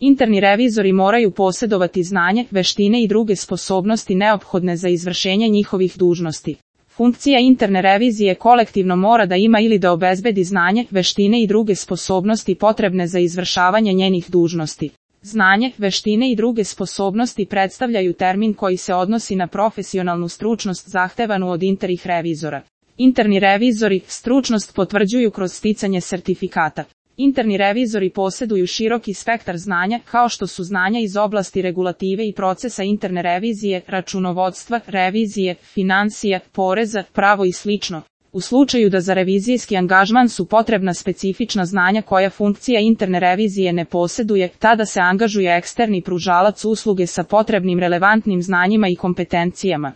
Interni revizori moraju posjedovati znanje, veštine i druge sposobnosti neophodne za izvršenje njihovih dužnosti. Funkcija interne revizije kolektivno mora da ima ili da obezbedi znanje, veštine i druge sposobnosti potrebne za izvršavanje njenih dužnosti. Znanje, veštine i druge sposobnosti predstavljaju termin koji se odnosi na profesionalnu stručnost zahtevanu od internih revizora. Interni revizori stručnost potvrđuju kroz sticanje sertifikata. Interni revizori posjeduju široki spektar znanja, kao što su znanja iz oblasti regulative i procesa interne revizije, računovodstva, revizije, finansija, poreza, pravo i slično. U slučaju da za revizijski angažman su potrebna specifična znanja koja funkcija interne revizije ne posjeduje, tada se angažuje eksterni pružalac usluge sa potrebnim relevantnim znanjima i kompetencijama.